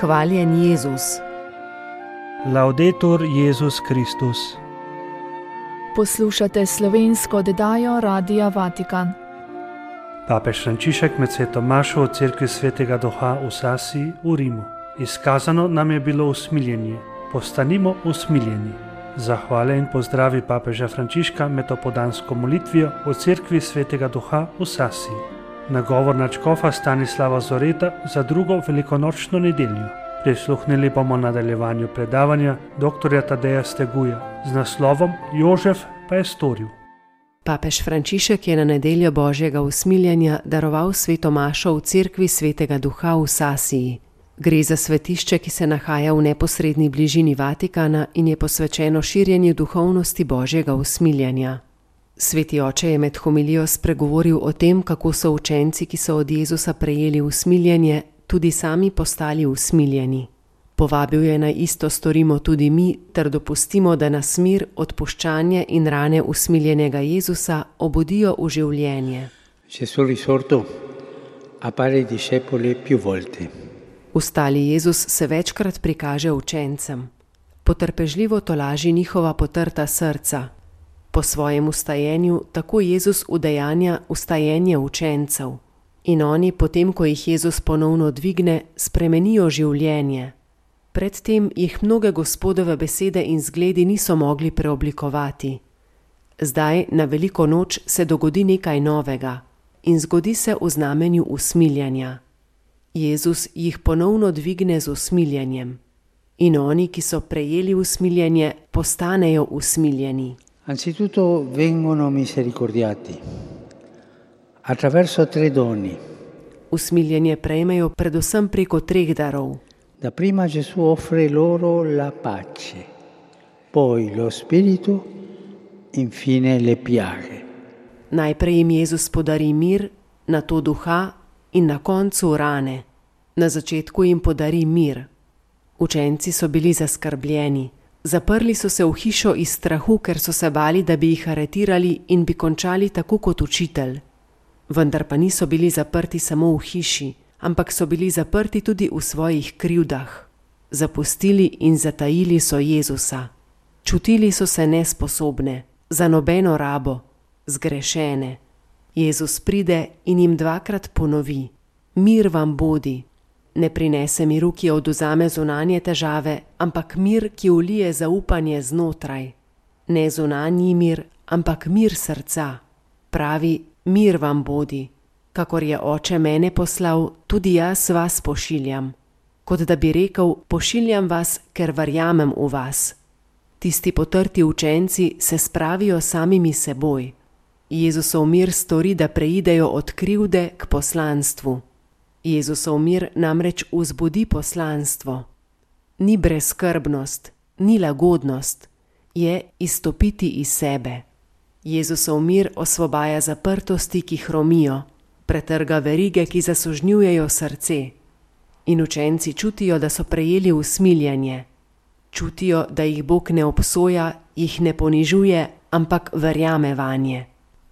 Hvaljen Jezus. Laudetur Jezus Kristus. Poslušate slovensko oddajo Radia Vatikan. Papež Frančišek med sveto mašo v cerkvi svetega Duha v Sasiji v Rimu. Izkazano nam je bilo usmiljenje. Postanimo usmiljeni. Zahvale in pozdravi papeža Frančiška med opoldansko molitvijo v cerkvi svetega Duha v Sasiji. Nagovor nadškofa Stanislava Zoreta za drugo velikonočno nedeljo. Prisluhnili bomo nadaljevanju predavanja dr. Tadeja Steguja z naslovom Jožef pa je storil. Papež Frančišek je na nedeljo Božjega usmiljenja daroval sveto mašo v cerkvi svetega Duha v Sasiji. Gre za svetišče, ki se nahaja v neposredni bližini Vatikana in je posvečeno širjenju duhovnosti Božjega usmiljenja. Sveti oče je med homilijo spregovoril o tem, kako so učenci, ki so od Jezusa prejeli usmiljenje, tudi sami postali usmiljeni. Povabil je naj isto storimo tudi mi, ter dopustimo, da nas mir, odpuščanje in rane usmiljenega Jezusa obudijo v življenje. Gesù risorto appare ai discepoli più volte. Ustali Jezus se večkrat prikaže učencem. Potrpežljivo tolaži njihova potrta srca. Po svojem ustajenju tako Jezus udejanja ustajenje učencev. In oni, potem ko jih Jezus ponovno dvigne, spremenijo življenje. Predtem jih mnoge Gospodove besede in zgledi niso mogli preoblikovati. Zdaj, na veliko noč, se dogodi nekaj novega in zgodi se v znamenju usmiljenja. Jezus jih ponovno dvigne z usmiljenjem. In oni, ki so prejeli usmiljenje, postanejo usmiljeni. Anzitutto vengono misericordiati attraverso 3 doni. Usmiljenje prejmejo predvsem preko 3 darov. Dapprima Gesù offre loro la pace, poi lo spirito, infine le piaghe. Najprej jim Jezus podari mir, nato duha in na koncu rane. Na začetku jim podari mir. Učenci so bili zaskrbljeni. Zaprli so se v hišo iz strahu, ker so se bali, da bi jih aretirali in bi končali tako kot učitelj. Vendar pa niso bili zaprti samo v hiši, ampak so bili zaprti tudi v svojih krivdah. Zapustili in zatajili so Jezusa. Čutili so se nesposobne, za nobeno rabo, zgrešene. Jezus pride in jim 2-krat ponovi: mir vam bodi. Ne prinese miru, ki odvzame zunanje težave, ampak mir, ki vlije zaupanje znotraj. Ne zunanji mir, ampak mir srca. Pravi: mir vam bodi. Kakor je Oče mene poslal, tudi jaz vas pošiljam. Kot da bi rekel: pošiljam vas, ker verjamem v vas. Tisti potrti učenci se spravijo samimi seboj. Jezusov mir stori, da preidejo od krivde k poslanstvu. Jezusov mir namreč vzbudi poslanstvo. Ni brezskrbnost, ni lagodnost, je izstopiti iz sebe. Jezusov mir osvobaja zaprtosti, ki hromijo, pretrga verige, ki zasužnjujejo srce. In učenci čutijo, da so prejeli usmiljenje. Čutijo, da jih Bog ne obsoja, jih ne ponižuje, ampak verjame vanje.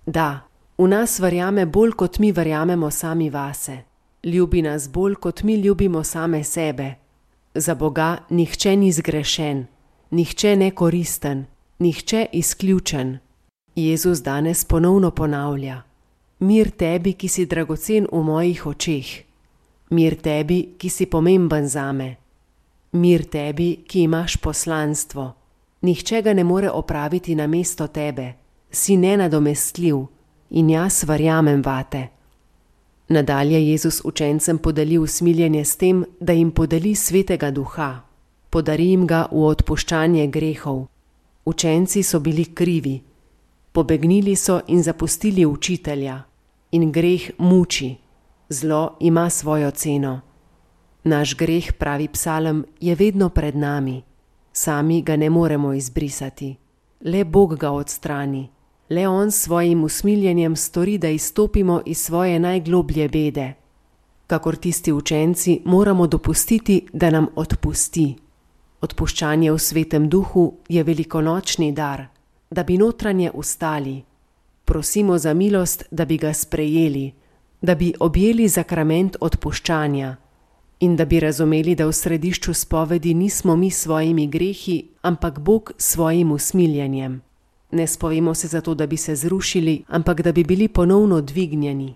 Da, v nas verjame bolj, kot mi verjamemo sami vase. Ljubi nas bolj, kot mi ljubimo same sebe. Za Boga nihče ni zgrešen, nihče nekoristen, nihče izključen. Jezus danes ponovno ponavlja: mir tebi, ki si dragocen v mojih očeh. Mir tebi, ki si pomemben zame. Mir tebi, ki imaš poslanstvo. Nihče ga ne more opraviti namesto tebe. Si nenadomestljiv in jaz verjamem vate. Nadalje Jezus učencem podeli usmiljenje s tem, da jim podeli svetega Duha. Podari jim ga v odpuščanje grehov. Učenci so bili krivi. Pobegnili so in zapustili učitelja. In greh muči. Zlo ima svojo ceno. Naš greh, pravi psalem, je vedno pred nami. Sami ga ne moremo izbrisati. Le Bog ga odstrani. Le on s svojim usmiljenjem stori, da izstopimo iz svoje najgloblje bede. Kakor tisti učenci moramo dopustiti, da nam odpusti. Odpuščanje v svetem duhu je velikonočni dar, da bi notranje ustali. Prosimo za milost, da bi ga sprejeli, da bi objeli zakrament odpuščanja. In da bi razumeli, da v središču spovedi nismo mi s svojimi grehi, ampak Bog s svojim usmiljenjem. Ne spovemo se zato, da bi se zrušili, ampak da bi bili ponovno dvignjeni.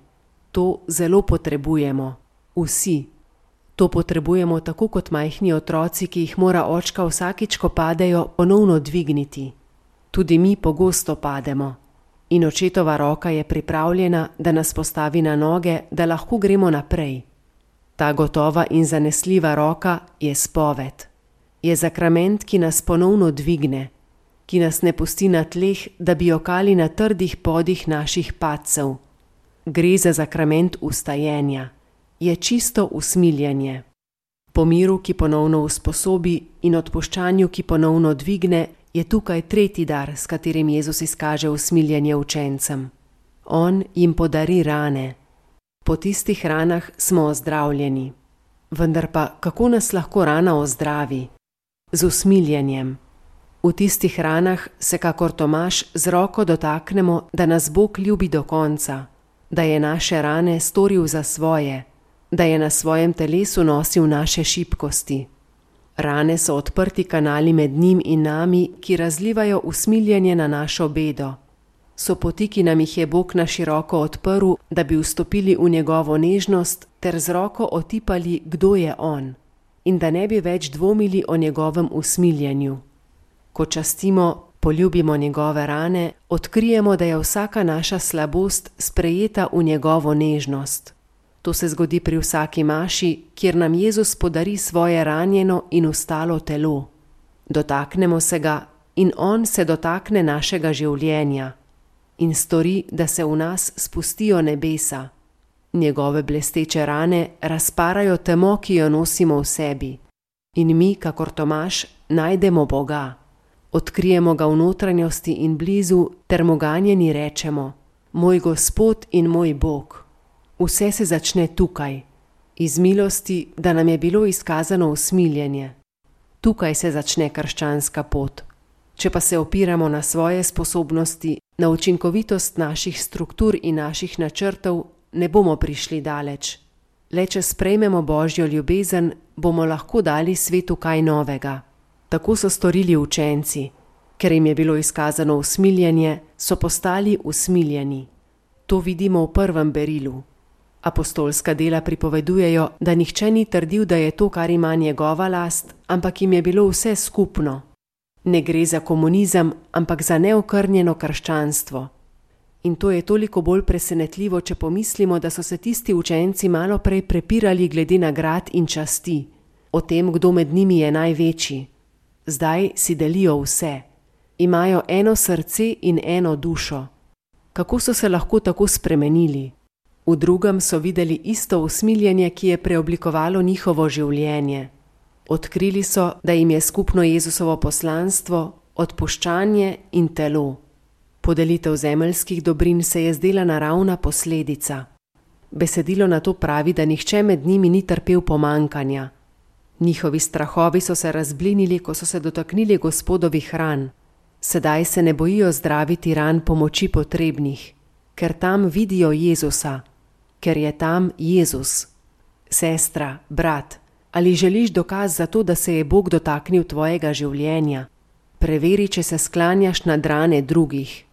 To zelo potrebujemo. Vsi. To potrebujemo tako kot majhni otroci, ki jih mora očka vsakič, ko padejo, ponovno dvigniti. Tudi mi pogosto pademo. In očetova roka je pripravljena, da nas postavi na noge, da lahko gremo naprej. Ta gotova in zanesljiva roka je spoved. Je zakrament, ki nas ponovno dvigne, ki nas ne pusti na tleh, da bi jokali na trdih podih naših padcev. Gre za zakrament vstajenja. Je čisto usmiljenje. Po miru, ki ponovno usposobi, in odpuščanju, ki ponovno dvigne, je tukaj tretji dar, s katerim Jezus izkaže usmiljenje učencem. On jim podari rane. Po tistih ranah smo ozdravljeni. Vendar pa, kako nas lahko rana ozdravi? Z usmiljenjem. V tistih ranah se kakor Tomaž z roko dotaknemo, da nas Bog ljubi do konca, da je naše rane storil za svoje, da je na svojem telesu nosil naše šibkosti. Rane so odprti kanali med njim in nami, ki razlivajo usmiljenje na našo bedo. So poti, ki nam jih je Bog na široko odprl, da bi vstopili v njegovo nežnost ter z roko otipali, kdo je on, in da ne bi več dvomili o njegovem usmiljenju. Ko častimo, poljubimo njegove rane, odkrijemo, da je vsaka naša slabost sprejeta v njegovo nežnost. To se zgodi pri vsaki maši, kjer nam Jezus podari svoje ranjeno in ustalo telo. Dotaknemo se ga in on se dotakne našega življenja in stori, da se v nas spustijo nebesa. Njegove blesteče rane razparajo temo, ki jo nosimo v sebi. In mi, kakor Tomaž, najdemo Boga. Odkrijemo ga v notranjosti in blizu, ter mu ganjeni rečemo: Moj Gospod in moj Bog. Vse se začne tukaj, iz milosti, da nam je bilo izkazano usmiljenje. Tukaj se začne krščanska pot. Če pa se opiramo na svoje sposobnosti, na učinkovitost naših struktur in naših načrtov, ne bomo prišli daleč. Le če sprejmemo Božjo ljubezen, bomo lahko dali svetu kaj novega. Tako so storili učenci. Ker jim je bilo izkazano usmiljenje, so postali usmiljeni. To vidimo v prvem berilu. Apostolska dela pripovedujejo, da nihče ni trdil, da je to, kar ima njegova last, ampak jim je bilo vse skupno. Ne gre za komunizem, ampak za neokrnjeno krščanstvo. In to je toliko bolj presenetljivo, če pomislimo, da so se tisti učenci malo prej prepirali glede nagrad in časti, o tem, kdo med njimi je največji. Zdaj si delijo vse. Imajo eno srce in eno dušo. Kako so se lahko tako spremenili? V drugem so videli isto usmiljenje, ki je preoblikovalo njihovo življenje. Odkrili so, da jim je skupno Jezusovo poslanstvo, odpuščanje in telo. Podelitev zemeljskih dobrin se je zdela naravna posledica. Besedilo na to pravi, da nihče med njimi ni trpel pomankanja. Njihovi strahovi so se razblinili, ko so se dotaknili Gospodovih ran. Sedaj se ne bojijo zdraviti ran pomoči potrebnih, ker tam vidijo Jezusa, ker je tam Jezus. Sestra, brat, ali želiš dokaz za to, da se je Bog dotaknil tvojega življenja? Preveri, če se sklanjaš nad rane drugih.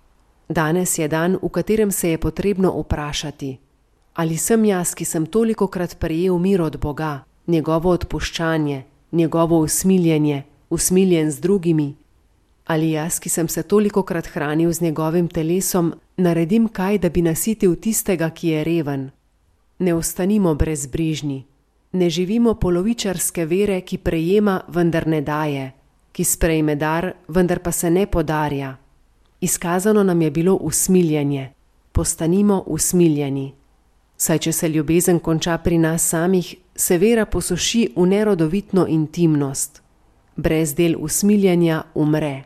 Danes je dan, v katerem se je potrebno vprašati: ali sem jaz, ki sem tolikokrat prejel mir od Boga, njegovo odpuščanje, njegovo usmiljenje, usmiljen z drugimi? Ali jaz, ki sem se tolikokrat hranil z njegovim telesom, naredim kaj, da bi nasitil tistega, ki je reven? Ne ostanimo brezbrižni. Ne živimo polovičarske vere, ki prejema, vendar ne daje, ki sprejme dar, vendar pa se ne podarja. Izkazano nam je bilo usmiljenje. Postanimo usmiljeni. Saj če se ljubezen konča pri nas samih, se vera posuši v nerodovitno intimnost. Brez del usmiljenja umre.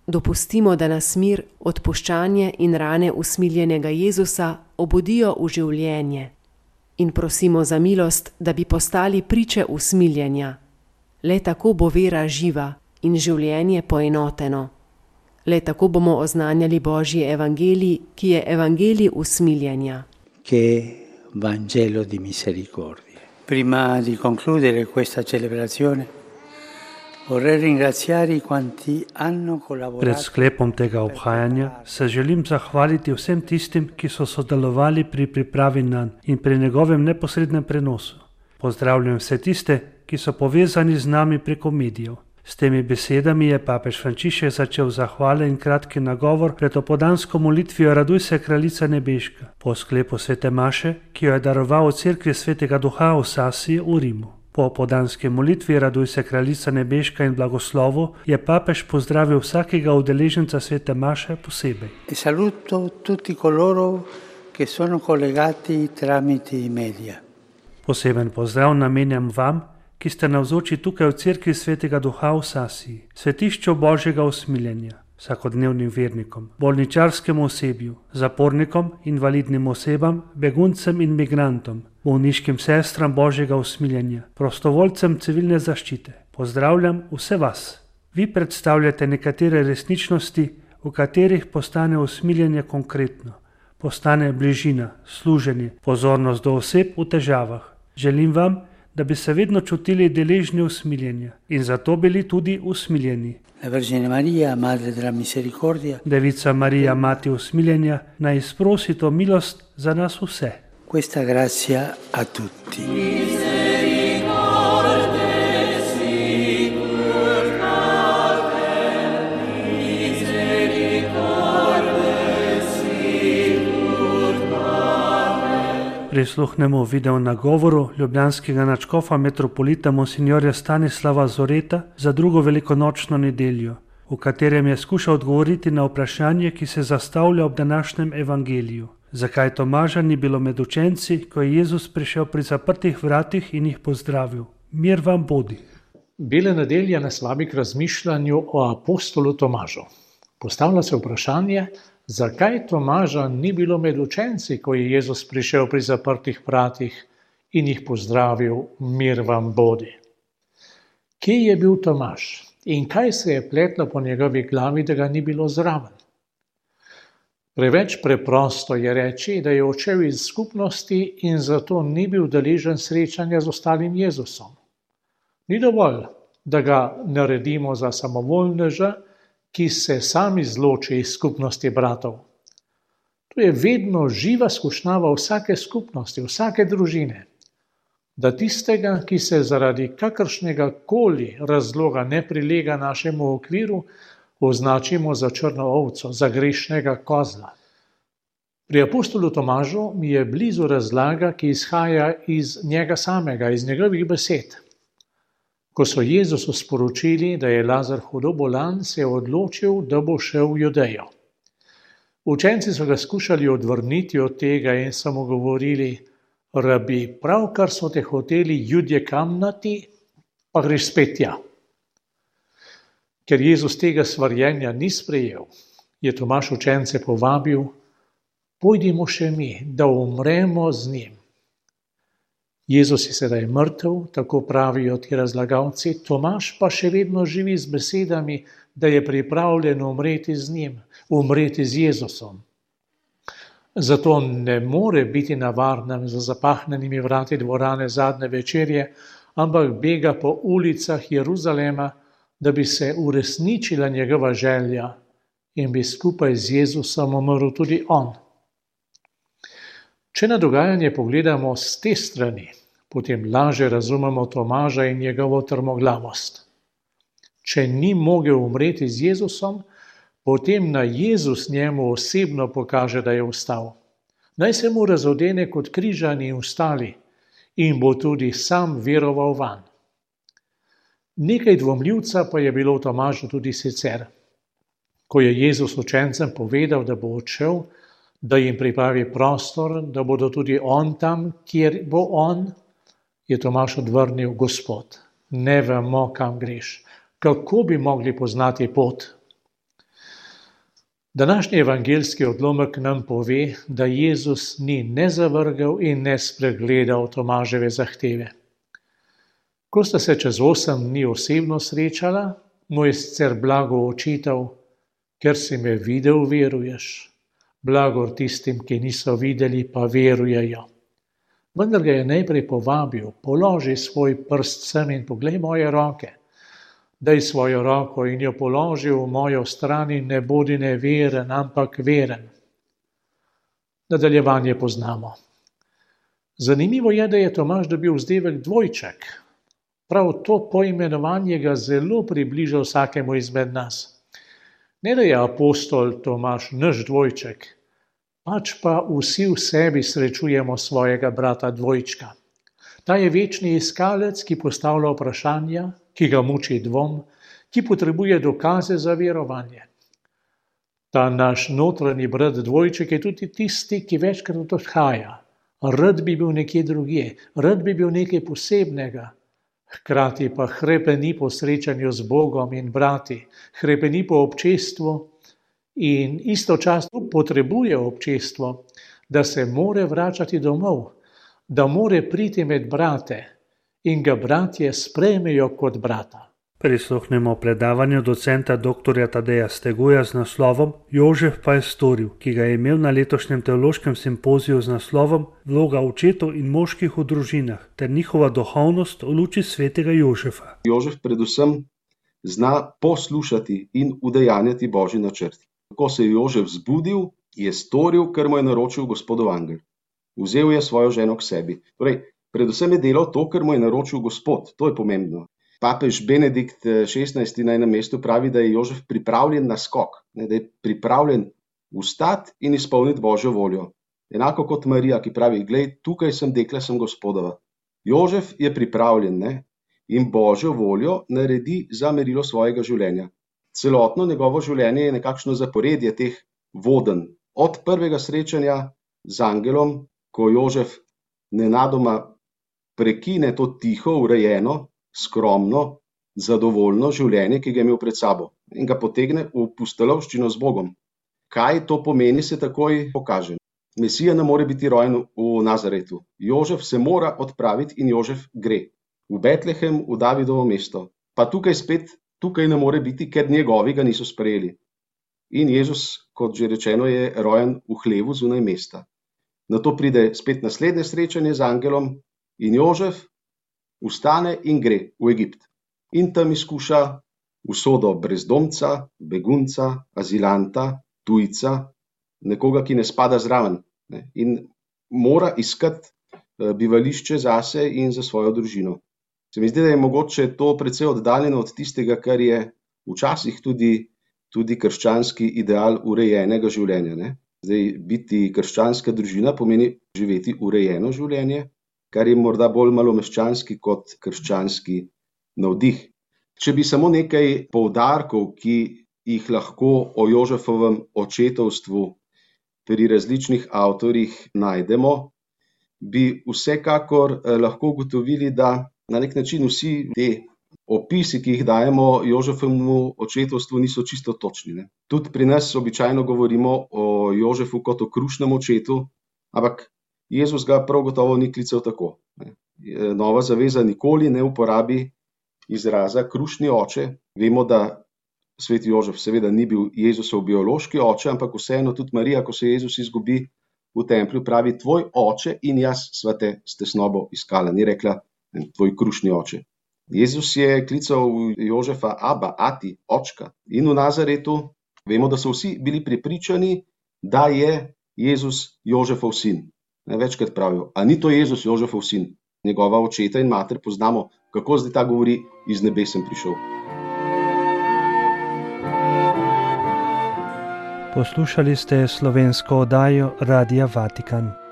Dopustimo, da nas mir, odpuščanje in rane usmiljenega Jezusa obudijo v življenje. In prosimo za milost, da bi postali priče usmiljenja. Le tako bo vera živa in življenje poenoteno. Le tako bomo oznanjali Božji evangelij, ki je evangelij usmiljenja. Che Vangelo di misericordia. Prima di concludere questa celebrazione, vorrei ringraziare quanti hanno Pred collaborato. sklepom tega obhajanja se želim zahvaliti vsem tistim, ki so sodelovali pri pripravi nanj in pri njegovem neposrednem prenosu. Pozdravljam vse tiste, ki so povezani z nami preko medijev. S temi besedami je papež Frančišek začel zahvale in kratki nagovor pred opoldansko molitvijo Raduj se, kraljica nebeška, po sklepu svete maše, ki jo je daroval v cerkvi svetega duha v Sasiji v Rimu. Po opoldanski molitvi Raduj se, kraljica nebeška in blagoslovu je papež pozdravil vsakega udeleženca svete maše posebej. E saluto tutti coloro che sono collegati tramite i media. Poseben pozdrav namenjam vam, ki ste navzoči tukaj v cerkvi svetega duha v Sasiji, svetišču Božjega usmiljenja, vsakodnevnim vernikom, bolničarskemu osebju, zapornikom, invalidnim osebam, beguncem in migrantom, bolniškim sestram Božjega usmiljenja, prostovoljcem civilne zaščite. Pozdravljam vse vas. Vi predstavljate nekatere resničnosti, v katerih postane usmiljenje konkretno, postane bližina, služenje, pozornost do oseb v težavah. Želim vam, da bi se vedno čutili deležni usmiljenja in zato bili tudi usmiljeni. La Vergine Maria, Madre della Misericordia, Devica Marija, mati usmiljenja, naj izprosi to milost za nas vse. questa grazia a tutti. Prisluhnemo video nagovoru ljubljanskega nadškofa metropolita monsignorja Stanislava Zoreta za drugo velikonočno nedeljo, v katerem je skušal odgovoriti na vprašanje, ki se zastavlja ob današnjem evangeliju. Zakaj Tomaža ni bilo med učenci, ko je Jezus prišel pri zaprtih vratih in jih pozdravil? Mir vam bodi. Bela nedelja nas vabi k razmišljanju o apostolu Tomažu. Postavlja se vprašanje, zakaj Tomaža ni bilo med učenci, ko je Jezus prišel pri zaprtih vratih in jih pozdravil, mir vam bodi. Kje je bil Tomaž in kaj se je pletlo po njegovi glavi, da ga ni bilo zraven? Preveč preprosto je reči, da je odšel iz skupnosti in zato ni bil deležen srečanja z ostalim Jezusom. Ni dovolj, da ga naredimo za samovoljneža, ki se sami izloči iz skupnosti bratov. To je vedno živa skušnjava vsake skupnosti, vsake družine, da tistega, ki se zaradi kakršnega koli razloga ne prilega našemu okviru, označimo za črno ovco, za grešnega kozla. Pri apostolu Tomažu mi je blizu razlaga, ki izhaja iz njega samega, iz njegovih besed. Ko so Jezusu sporočili, da je Lazar hudo bolan, se je odločil, da bo šel v Judejo. Učenci so ga skušali odvrniti od tega in so mu govorili: Rabi, pravkar so te hoteli Judje kamnati, pa greš spet tja. Ker Jezus tega svarjenja ni sprejel, je Tomaž učence povabil: Pojdimo še mi, da umremo z njim. Jezus je sedaj mrtev, tako pravijo ti razlagalci, Tomaž pa še vedno živi z besedami, da je pripravljen umreti z njim, umreti z Jezusom. Zato ne more biti na varnem za zapahnenimi vrati dvorane zadnje večerje, ampak bega po ulicah Jeruzalema, da bi se uresničila njegova želja in bi skupaj z Jezusom umrl tudi on. Če na dogajanje pogledamo s te strani, potem lažje razumemo Tomaža in njegovo trmoglavost. Če ni mogel umreti z Jezusom, potem naj Jezus njemu osebno pokaže, da je vstal. Naj se mu razodene kot križani in vstali in bo tudi sam veroval vanj. Nekaj dvomljivca pa je bilo v Tomažu tudi sicer. Ko je Jezus učencem povedal, da bo odšel, da jim pripravi prostor, da bodo tudi on tam, kjer bo on, je Tomaž odvrnil: Gospod, ne vemo, kam greš. Kako bi mogli poznati pot? Današnji evangeljski odlomek nam pove, da Jezus ni ne zavrgel in ne spregledal Tomaževe zahteve. Ko sta se čez 8 dni osebno srečala, mu je sicer blago očital: Ker si me videl, veruješ. Blagor tistim, ki niso videli, pa verujejo. Vendar ga je najprej povabil, položi svoj prst sem in poglej moje roke. Daj svojo roko in jo položi v mojo stran in ne bodi neveren, ampak veren. Nadaljevanje poznamo. Zanimivo je, da je Tomaž dobil vzdevek dvojček. Prav to poimenovanje ga zelo približa vsakemu izmed nas. Ne da je apostol Tomaž naš dvojček, pač pa vsi v sebi srečujemo svojega brata dvojčka. Ta je večni iskalec, ki postavlja vprašanja, ki ga muči dvom, ki potrebuje dokaze za verovanje. Ta naš notranji brat dvojček je tudi tisti, ki večkrat odhaja. Rad bi bil nekje drugje, rad bi bil nekaj posebnega. Hkrati pa hrepeni po srečanju z Bogom in brati, hrepeni po občestvu in istočasno potrebuje občestvo, da se more vračati domov, da more priti med brate in ga bratje sprejmejo kot brata. Prisluhnemo predavanju docenta dr. Tadeja Steguja z naslovom Jožef pa je storil, ki ga je imel na letošnjem teološkem simpoziju z naslovom Vloga očetov in moških v družinah ter njihova duhovnost v luči svetega Jožefa. Jožef predvsem zna poslušati in udejanjati Božji načrt. Ko se je Jožef zbudil, je storil, kar mu je naročil Gospodov angel. Vzel je svojo ženo k sebi. Torej, predvsem je delal to, kar mu je naročil Gospod. To je pomembno. Papež Benedikt XVI na enem mestu pravi, da je Jožef pripravljen na skok, da je pripravljen vstati in izpolniti Božjo voljo. Enako kot Marija, ki pravi, glej, tukaj sem dekle, sem Gospodova. Jožef je pripravljen in Božjo voljo naredi za merilo svojega življenja. Celotno njegovo življenje je nekakšno zaporedje teh vodenj. Od prvega srečanja z angelom, ko Jožef nenadoma prekine to tiho, urejeno, skromno, zadovoljno življenje, ki ga je imel pred sabo in ga potegne v pustolovščino z Bogom. Kaj to pomeni, se takoj pokaže. Mesija ne more biti rojen v Nazaretu. Jožef se mora odpraviti in Jožef gre. V Betlehem, v Davidovo mesto. Pa tukaj ne more biti, ker njegovi ga niso sprejeli. In Jezus, kot že rečeno, je rojen v hlevu zunaj mesta. Nato pride spet naslednje srečanje z angelom in Jožef vstane in gre v Egipt. In tam izkuša usodo brezdomca, begunca, azilanta, tujca, nekoga, ki ne spada zraven. In mora iskati bivališče zase in za svojo družino. Se mi zdi, da je mogoče to precej oddaljeno od tistega, kar je včasih tudi krščanski ideal urejenega življenja. Zdaj, biti krščanska družina pomeni živeti urejeno življenje, kar je morda bolj malomeščanski kot krščanski navdih. Če bi samo nekaj poudarkov, ki jih lahko o Jožefovem očetovstvu pri različnih avtorjih najdemo, bi vsekakor lahko ugotovili, da na nek način vsi te opisi, ki jih dajemo Jožefovemu očetovstvu, niso čisto točni. Tudi pri nas običajno govorimo o Jožefu kot o krušnem očetu, ampak Jezus ga prav gotovo ni klical tako. Nova zaveza nikoli ne uporabi izraza krušni oče. Vemo, da sveti Jožef seveda ni bil Jezusov biološki oče, ampak vseeno tudi Marija, ko se Jezus izgubi v templju, pravi, tvoj oče in jaz sva te s tesnobo iskala. Ni rekla, tvoj krušni oče. Jezus je klical Jožefa Aba, ati, očka. In v Nazaretu vemo, da so vsi bili prepričani, da je Jezus Jožefov sin. Večkrat pravijo, a ni to Jezus Jožefov sin? Njegova očeta in mater poznamo, kako zdaj ta govori, iz nebes sem prišel. Poslušali ste slovensko oddajo Radia Vatikan.